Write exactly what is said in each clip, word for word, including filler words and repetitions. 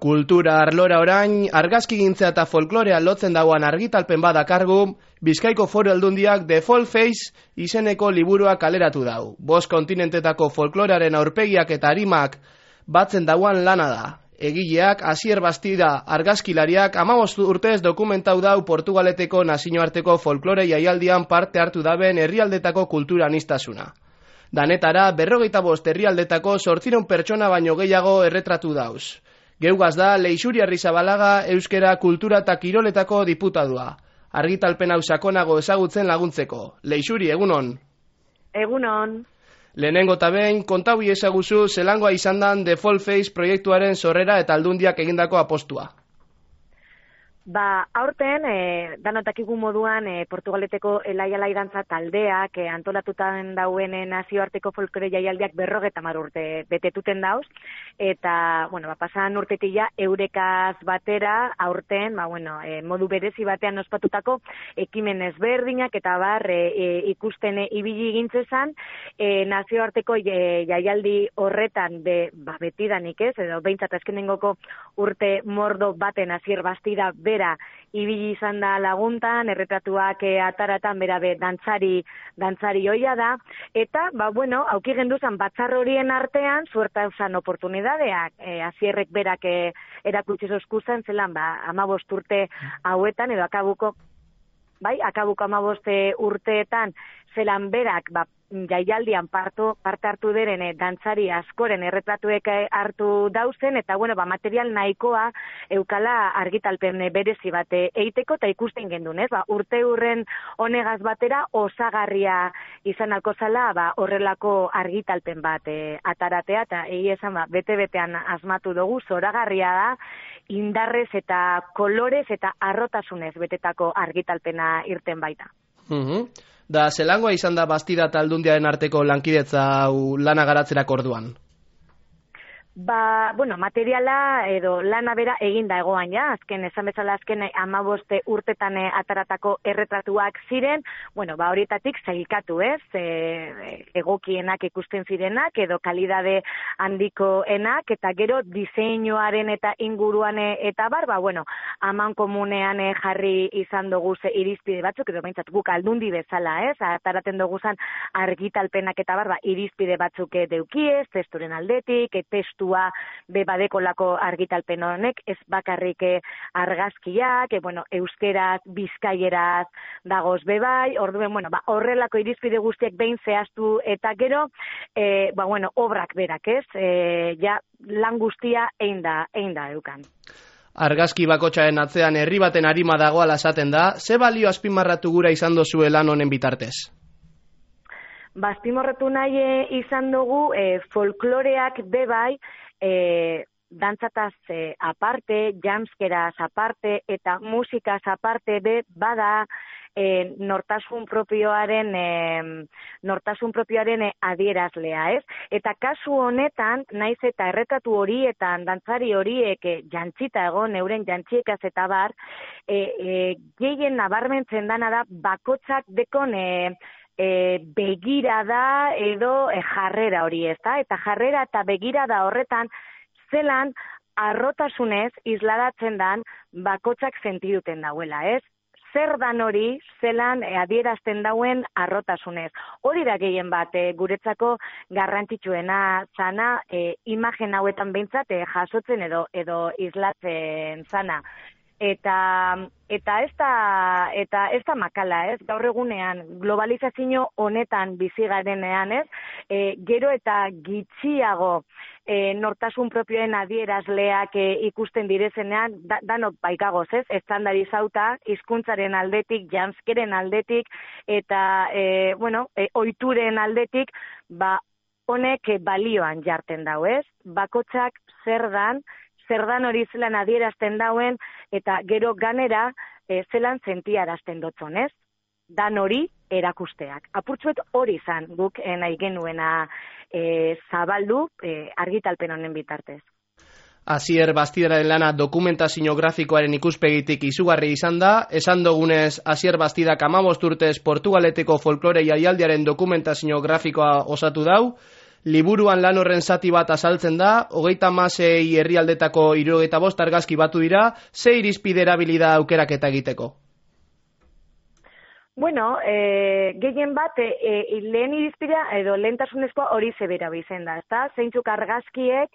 Kultura arlora orain, argazkigintza eta folklorea lotzen dagoan argitalpen badakargu, Bizkaiko Foru Aldundiak The Folk Face izeneko liburua kaleratu dau. Bost kontinentetako folklorearen aurpegiak eta arimak batzen dauan lana da. Egileak, Asier Bastida argazkilariak hamabost urtez dokumentau dau Portugaleteko nazioarteko folklore jaialdian parte hartu daben herrialdetako kultura anistasuna. Danetara, berrogeita bost herrialdetako zortziron pertsona baino gehiago erretratu dauz. Geugaz da, Leixuri Arrizabalaga euskera kultura eta kiroletako diputadua. Argitalpen hau sakonago ezagutzen laguntzeko. Leixuri, egunon? Egunon. Lehenengo eta behin, kontau ezaguzu zelangoa izan dan The Folk Face proiektuaren sorrera eta Aldundiak egindako apostua. Ba, aurten, e, danotakigu moduan, e, Portugaleteko elaialai dantza taldeak e, antolatutan dauen e, nazioarteko folklore jaialdiak berrogeta mar urte betetuten dauz, eta, bueno, ba, pasan urtetila eurekaz batera, aurten, ba, bueno, e, modu berezi batean ospatutako ekimen ezberdinak eta bar e, e, ikusten e, ibili gintzezan, e, nazioarteko e, jaialdi horretan be, ba, betidanik ez, edo behintzat azkenengoko urte mordo baten Asier Bastida be ibili izan da laguntan, erretratuak e, ataratan bera be dantzari, dantzari hoia da, eta, ba, bueno, auki genduzan batzar horien artean, suerta eusan oportunidadeak, e, Asierrek berak e, erakutsi zozkuzan, zelan, ba, amabost urte hauetan, edo akabuko, bai, akabuko amabost urteetan, zelan berak, ba, jaialdian parto, parte hartu deren e, dantzari askoren erretratuek hartu dauzen, eta bueno, ba, material nahikoa eukala argitalpen berezi bate eiteko, eta ikusten gendun, ez? Ba, urte hurren honegaz batera osagarria izan alko zala, ba, horrelako argitalpen bat e, ataratea, eta egi esan, ba, bete-betean asmatu dugu, zoragarria da, indarrez eta kolorez eta arrotasunez betetako argitalpena irten baita. Mhm. Da, zelangoa izan da Bastida eta Aldundiaren arteko lankidetza hau lana garatzerako orduan? Ba, bueno, materiala edo lana bera eginda egoan ja, azken esan bezala azken hamabost urtetan ataratako erretratuak ziren, bueno, ba horietatik zailkatu, ez? E, egokienak ikusten zirenak edo kalidade handikoenak eta gero diseinuaren eta inguruan eta bar, ba bueno, aman komunean jarri izan dugu ze irizpide batzuk edo behintzat guk Aldundi bezala, ez? Ataraten dugu zan argitalpenak eta bar, ba irizpide batzuk deukiez, testuren aldetik, testu be badekolako argitalpen honek, ez bakarrik argazkiak, e, bueno, euskeraz, bizkaieraz dagoz bebai, orduen, bueno, ba, horrelako irizpide guztiak behin zehaztu eta gero, e, ba, bueno, obrak berak, ez, e, ja, lan guztia egin da, egin da eukan. Argazki bakotxaren atzean herri baten arima dagoala esaten da, ze balio azpimarratu gura izan dozue lan honen bitartez? Baztimorretu nahi e, izan dugu e, folkloreak bebai e, dantzataz e, aparte, jamskeraz aparte eta musikaz aparte be bada e, nortasun propioaren e, nortasun propioaren e, adierazlea, ez? Eta kasu honetan, naiz eta erretatu horietan dantzari horiek e, jantzita egon, euren jantziekaz eta bar, e, e, gehien nabarmentzen dana da bakotzak dekon e, E, begirada edo e, jarrera hori, ez da? Eta jarrera eta begirada horretan zelan arrotasunez isladatzen dan bakotzak sentiduten dauela, ez? Zer dan hori zelan e, adierazten dauen arrotasunez. Hori da gehien bat e, guretzako garrantzitsuena zana e, imagen hauetan behintzat e, jasotzen edo edo islatzen zana. Eta eta ez da eta ez da makala, ez? Gaur egunean globalizazio honetan bizi garenean, ez? E, gero eta gitxiago e, nortasun propioen adierazleak e, ikusten direzenean, da, danok baikagoz, ez? Estandarizauta hizkuntzaren aldetik, janskeren aldetik eta e, bueno, e, ohituren aldetik, ba honek balioan jarten dau, ez? Bakotzak zer dan zer dan hori zelan adierazten dauen, eta gero ganera e, zelan sentiarazten dotzon, ez? Dan hori erakusteak. Apurtzuet hori izan guk e, nahi genuena e, zabaldu e, argitalpen honen bitartez. Asier Bastidaren lana dokumentazio grafikoaren ikuspegitik izugarri izan da, esan dugunez Asier Bastidak hamabost urtez Portugaleteko folklore jaialdiaren dokumentazio grafikoa osatu dau, Liburuan lan horren zati bat azaltzen da, hogeita hamasei herrialdetako hirurogeita bost argazki batu dira, ze irizpide erabili da aukeraketa egiteko? Bueno, e, gehien bat, e, e, lehen irizpidea edo lehentasunezkoa hori zebera bizen da, ezta? Zeintzuk argazkiek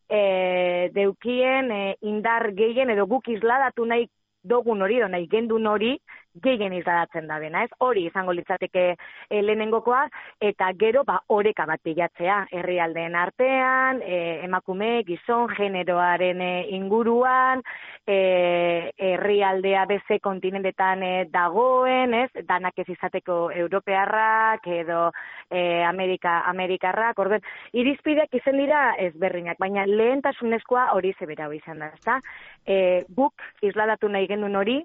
e, deukien e, indar gehien edo guk isladatu nahi dogun hori, edo nahi gendun hori, gehien isladatzen da bena, ez? Hori izango litzateke e, lehenengokoa, eta gero ba oreka bat bilatzea, herrialdeen artean, e, emakume, gizon, generoaren e, inguruan, e, herrialdea beze kontinentetan e, dagoen, ez? Danak ez izateko europearrak edo e, Amerika, Amerikarrak, orden, irizpideak izen dira ezberdinak, baina lehentasunezkoa hori zebera izan da, ezta? E, guk isladatu nahi gendun hori,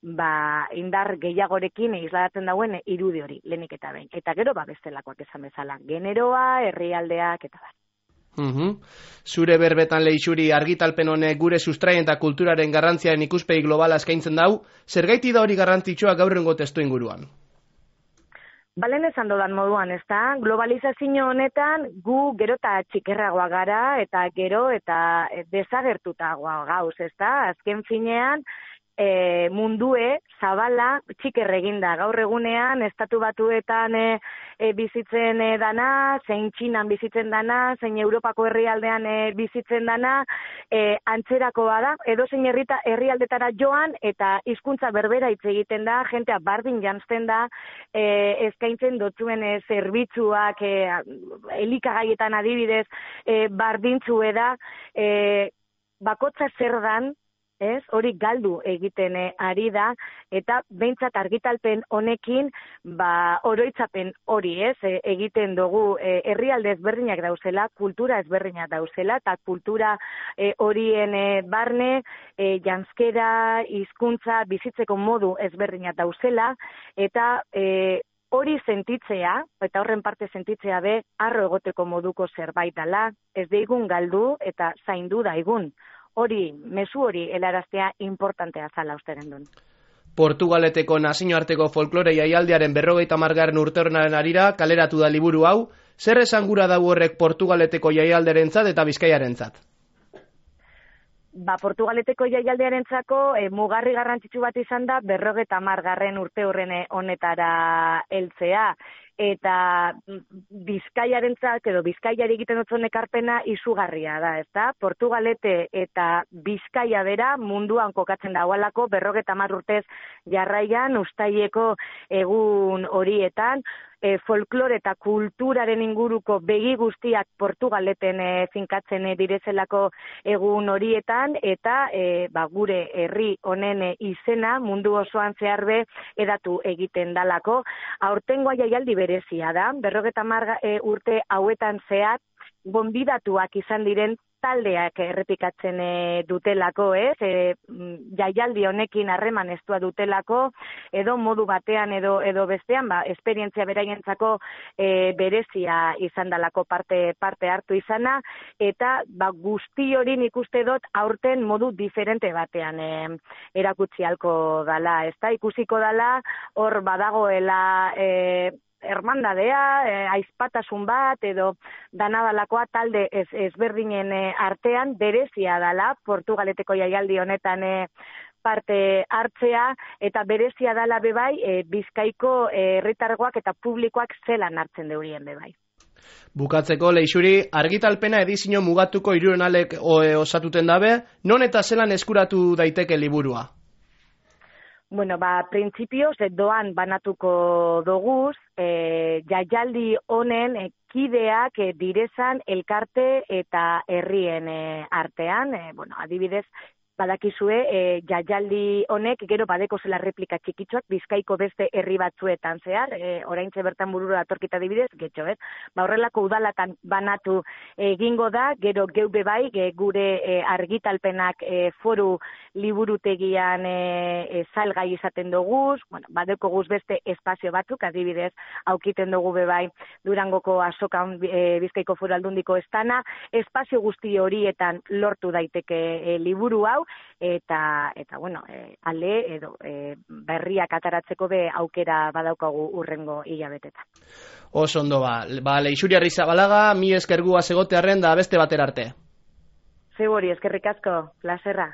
ba, indar gehiagorekin isladatzen dauen irudi hori, lehenik eta behin. Eta gero, ba, bestelakoak esan bezala, generoa, herrialdeak, eta bar. Uhum. Zure berbetan Leixuri argitalpen honek gure sustraien eta kulturaren garrantziaren ikuspegi globala eskaintzen dau, zergaiti da hori garrantzitsua gaurrengo testu inguruan? Balen esan dodan moduan, ez da? Globalizazio honetan gu gero eta txikerragoa gara eta gero eta desagertutagoa gauz, ez da? Azken finean, E, mundue, zabala, txiker eginda. Gaur egunean, estatu batuetan e, e, bizitzen e, dana, zein Txinan bizitzen dana, zein Europako herrialdean e, bizitzen dana, e, antzerakoa da, edo zein herrita, herrialdetara joan, eta hizkuntza berbera hitz egiten da, jentea bardin janzten da, e, eskaintzen dotzuen e, zerbitzuak, e, elikagaietan adibidez, e, bardintzue da, e, bakotza zer dan, ez, hori galdu egiten e, ari da, eta behintzat argitalpen honekin, ba, oroitzapen hori, ez, e, egiten dugu, e, herrialde ezberdinak dauzela, kultura ezberdinak dauzela, eta kultura e, horien e, barne, e, janzkera, hizkuntza, bizitzeko modu ezberdinak dauzela, eta e, hori sentitzea, eta horren parte sentitzea be, harro egoteko moduko zerbait dela, ez deigun galdu eta zaindu daigun. Hori, mezu hori helaraztea importantea zala usteren duen. Portugaleteko nazioarteko folklore jaialdiaren berrogeita hamargarren urteurrenaren arira kaleratu da liburu hau, zer esan gura dau horrek Portugaleteko jaialdearentzat eta Bizkaiarentzat? Ba, Portugaleteko jaialdearentzako e, mugarri garrantzitsu bat izan da berrogeita hamargarren urteurrene honetara heltzea. Eta Bizkaiarentzat edo Bizkaiari egiten dutzen ekarpena izugarria da, ezta? Portugalete eta Bizkaia bera munduan kokatzen dagoelako berrogeita hamar urtez jarraian ustaileko egun horietan, e, folklore eta kulturaren inguruko begi guztiak Portugaleten e, finkatzen e, direzelako egun horietan, eta e, ba, gure herri honen e, izena mundu osoan zeharbe edatu egiten dalako. Aurtengoa jaialdi berezia da, berrogeita hamar e, urte hauetan zehar, gonbidatuak izan diren taldeak errepikatzen e, dutelako, ez? E, jaialdi honekin harreman estua dutelako, edo modu batean edo edo bestean, ba, esperientzia beraientzako e, berezia izan dalako parte parte hartu izana, eta ba, guzti hori nik uste dut aurten modu diferente batean e, erakutsi halko dala, ezta? Ikusiko dala, hor badagoela e, hermandadea, eh, aizpatasun bat, edo danadalakoa talde ez, ezberdinen eh, artean berezia dala, Portugaleteko jaialdi honetan eh, parte hartzea, eta berezia dala bebai, eh, Bizkaiko herritargoak eh, eta publikoak zelan hartzen deurien bebai. Bukatzeko, Leixuri, argitalpena edizio mugatuko hirurehunalek osatuten dabe, non eta zelan eskuratu daiteke liburua? Bueno, ba, printzipioz, doan banatuko doguz, e, jaialdi honen e, kideak e, direzan elkarte eta herrien e, artean, e, bueno, adibidez, badakizue, e, jaialdi honek gero badeko zela replika txikitsuak Bizkaiko beste herri batzuetan zehar, e, oraintxe bertan burura atorkita dibidez, getxo, ez? Ba, horrelako udalatan banatu egingo da, gero geube bai, ge, gure e, argitalpenak e, foru liburutegian e, e, salgai izaten doguz, bueno, badeko guz beste espazio batzuk, adibidez, aukiten dugu bebai Durangoko azokan e, Bizkaiko foru aldundiko estana, espazio guzti horietan lortu daiteke e, liburu hau, eta, eta bueno, e, ale edo e, berriak ataratzeko be aukera badaukagu urrengo hilabetetan. Oso ondo ba, ba Leixuri Arrizabalaga, mi eskergua segotearren da beste batera arte. Zebori, eskerrik asko, plazerra.